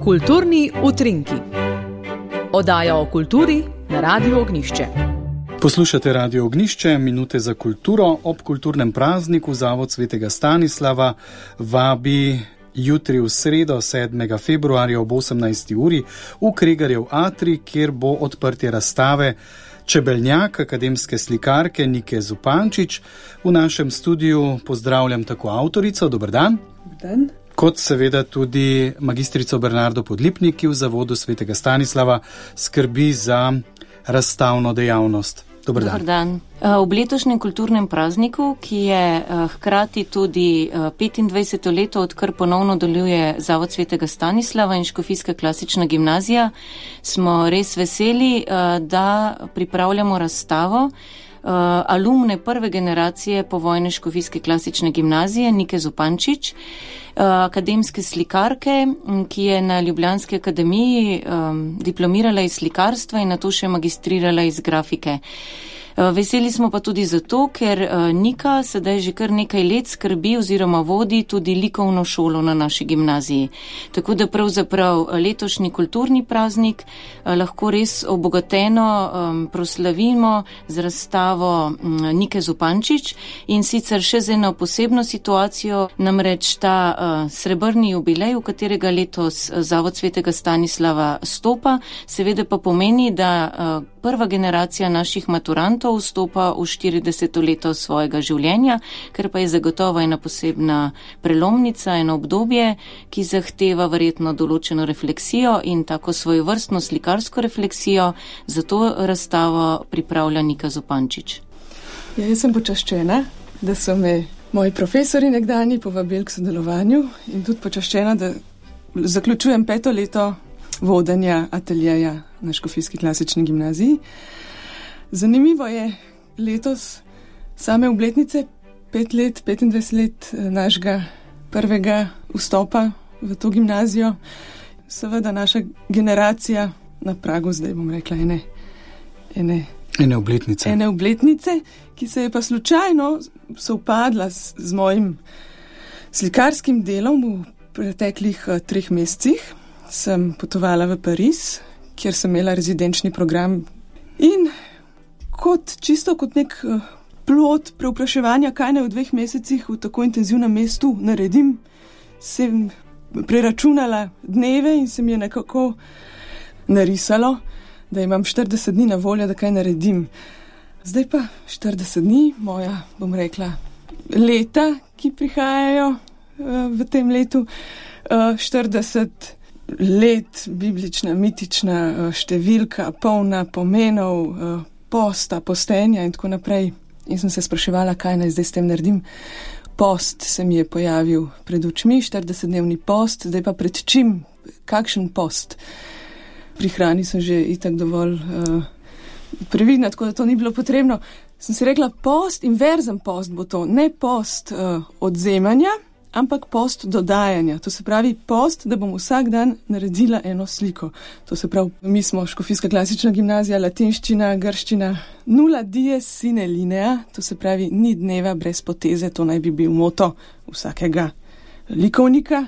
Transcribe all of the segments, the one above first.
Kulturni utrinki. Oddaja o kulturi na Radiu Ognjišče. Poslušate Radio Ognjišče, minute za kulturo. Ob kulturnem prazniku Zavod svetega Stanislava vabi jutri v sredo 7. februarja ob 18. uri v Kregarjev atrij, kjer bo odprtje razstave Čebeljak akademske slikarke Nike Zupančič. V našem studiu pozdravljam tako avtorico, dober dan. Dober dan. Kot seveda tudi magistrico Bernardo Podlipnik, ki v Zavodu svetega Stanislava skrbi za razstavno dejavnost. Dober dan. Dober dan. Ob letošnjem kulturnem prazniku, ki je hkrati tudi 25. leto, odkar ponovno deluje Zavod svetega Stanislava in Škofijska klasična gimnazija, smo res veseli, da pripravljamo razstavo alumne prve generacije povojne Škofijske klasične gimnazije Nike Zupančič, akademske slikarke, ki je na Ljubljanski akademiji diplomirala iz slikarstva in nato še magistrirala iz grafike. Veseli smo pa tudi zato, ker Nika sedaj že kar nekaj let skrbi oziroma vodi tudi likovno šolo na naši gimnaziji. Tako da pravzaprav letošnji kulturni praznik lahko res obogateno proslavimo z razstavo Nike Zupančič in sicer še z eno posebno situacijo, namreč ta srebrni jubilej, v katerega letos Zavod svetega Stanislava stopa, seveda pa pomeni, da prva generacija naših maturantov vstopa v 40. leto svojega življenja, ker pa je zagotovo ena posebna prelomnica, eno obdobje, ki zahteva verjetno določeno refleksijo in tako svojevrstno slikarsko refleksijo, zato razstavo pripravlja Nika Zupančič. Ja, jaz sem počaščena, da so me moji profesori nekdanji povabili k sodelovanju in tudi počaščena, da zaključujem 5. leto vodenja ateljeja na Škofijski klasični gimnaziji. Zanimivo je letos same obletnice 25 let našega prvega vstopa v to gimnazijo. Seveda naša generacija na pragu, zdaj bom rekla, ene obletnice, ki se je pa slučajno sovpadla z mojim slikarskim delom v preteklih 3 mesecih. Sem potovala v Pariz, kjer sem imela rezidenčni program in čisto kot nek plod preupraševanja, kaj naj v 2 mesecih v tako intenzivnem mestu naredim, sem preračunala dneve in se mi je nekako narisalo, da imam 40 dni na voljo, da kaj naredim. Zdaj pa 40 dni, moja, bom rekla, leta, ki prihajajo v tem letu, 40 let, biblična, mitična številka, polna pomenov, posta, postenja in tako naprej. In sem se spraševala, kaj naj zdaj s tem naredim. Post se mi je pojavil pred očmi, 40-dnevni post, zdaj pa pred čim? Kakšen post? Pri hrani sem že itak dovolj previdna, tako da to ni bilo potrebno. Sem si rekla, post, inverzen post bo to, ne post odzemanja, ampak post dodajanja. To se pravi post, da bom vsak dan naredila eno sliko. To se pravi, mi smo Škofijska klasična gimnazija, latinščina, grščina, nulla dies sine linea, to se pravi, ni dneva brez poteze, to naj bi bil moto vsakega likovnika.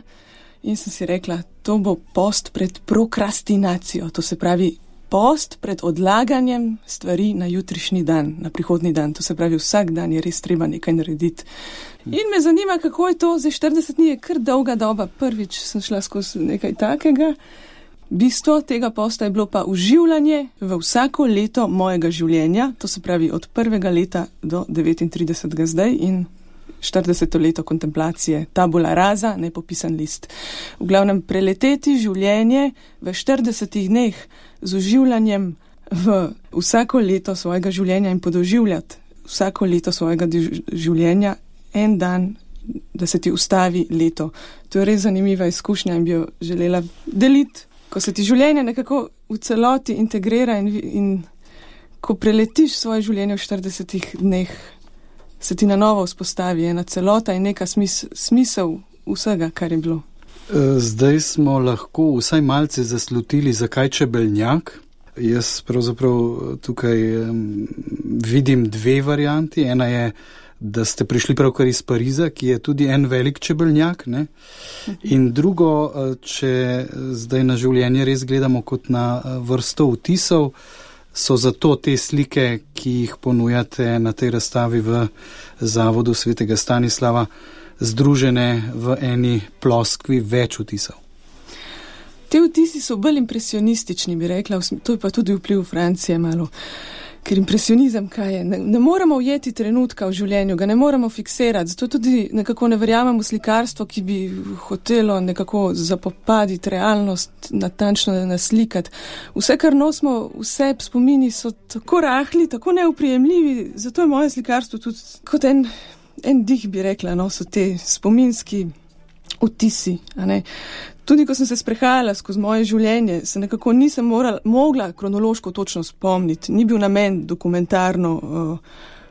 In sem si rekla, to bo post pred prokrastinacijo, to se pravi post pred odlaganjem stvari na jutrišnji dan, na prihodnji dan. To se pravi, vsak dan je res treba nekaj narediti. In me zanima, kako je to, zdaj 40 dni je kar dolga doba. Prvič sem šla skozi nekaj takega. Bistvo tega posta je bilo pa uživljanje v vsako leto mojega življenja, to se pravi od 1. leta do 39. zdaj in 40. leto kontemplacije, tabula rasa, nepopisan list. V glavnem preleteti življenje v 40 dneh z uživljanjem v vsako leto svojega življenja in podoživljati vsako leto svojega življenja en dan, da se ti ustavi leto. To je res zanimiva izkušnja in bi jo želela deliti. Ko se ti življenje nekako v celoti integrira in ko preletiš svoje življenje v 40 dneh, se ti na novo vzpostavi ena celota in neka smisel vsega, kar je bilo. Zdaj smo lahko vsaj malce zaslutili, zakaj čebeljak. Jaz pravzaprav tukaj vidim 2 varianti. Ena je da ste prišli pravkar iz Pariza, ki je tudi en velik čebeljnjak, ne? In drugo, če zdaj na življenje res gledamo kot na vrsto vtisov, so zato te slike, ki jih ponujate na tej razstavi v Zavodu svetega Stanislava, združene v eni ploskvi več vtisov. Te vtisi so bolj impresionistični, bi rekla, to je pa tudi vpliv Francije malo. Ker impresionizem kaj je? Ne moremo ujeti trenutka v življenju, ga ne moremo fiksirati, zato tudi nekako ne verjamemo slikarstvo, ki bi hotelo nekako zapopaditi realnost, natančno naslikati. Vse, kar nosimo, vse spomini so tako rahli, tako neuprijemljivi, zato je moje slikarstvo tudi kot en dih, bi rekla, no, so te spominski vtisi, a ne. Tudi ko sem se sprehajala skozi moje življenje, se nekako nisem mogla kronološko točno spomniti. Ni bil namen dokumentarno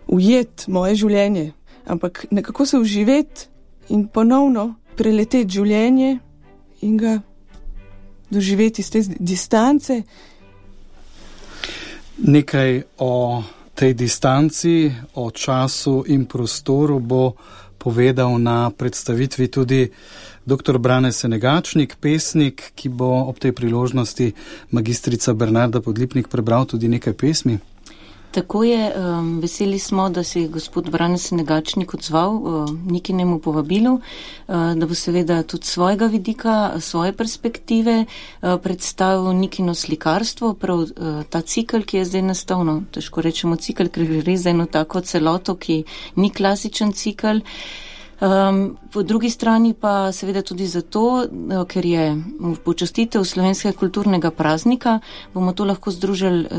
ujeti moje življenje, ampak nekako se uživeti in ponovno preleteti življenje in ga doživeti iz te distance. Nekaj o tej distanci, o času in prostoru bo povedal na predstavitvi tudi dr. Brane Senegačnik, pesnik, ki bo ob tej priložnosti magistrica Bernarda Podlipnik prebral tudi nekaj pesmi. Tako je, veseli smo, da se je gospod Brane Senegačnik odzval Nikinemu povabilu, da bo seveda tudi svojega vidika, svoje perspektive predstavil Nikino slikarstvo, prav ta cikl, ki je zdaj nastal, no, težko rečemo cikl, ker gre za eno tako celoto, ki ni klasičen cikl. Po drugi strani pa seveda tudi zato, ker je počastitev slovenskega kulturnega praznika, bomo to lahko združili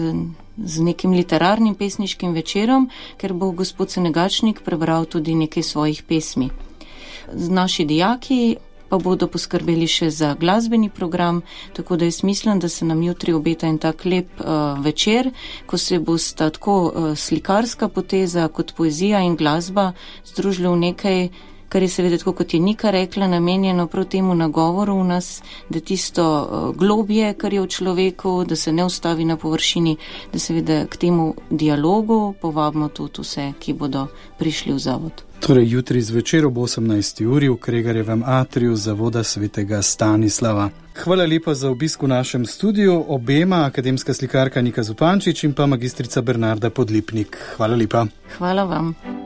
z nekim literarnim pesniškim večerom, ker bo gospod Senegačnik prebral tudi nekaj svojih pesmi. Naši dijaki pa bodo poskrbeli še za glasbeni program, tako da jaz mislim, da se nam jutri obeta en tak lep večer, ko se bosta tako slikarska poteza kot poezija in glasba združili v nekaj, kar je seveda tako, kot je Nika rekla, namenjeno prav temu nagovoru v nas, da tisto globje, kar je v človeku, da se ne ustavi na površini, da seveda k temu dialogu povabimo tudi vse, ki bodo prišli v zavod. Torej jutri zvečer ob 18. uri v Kregarjevem atriju Zavoda svetega Stanislava. Hvala lepa za obisk v našem studiu obema, akademska slikarka Nika Zupančič in pa magistrica Bernarda Podlipnik. Hvala lepa. Hvala vam.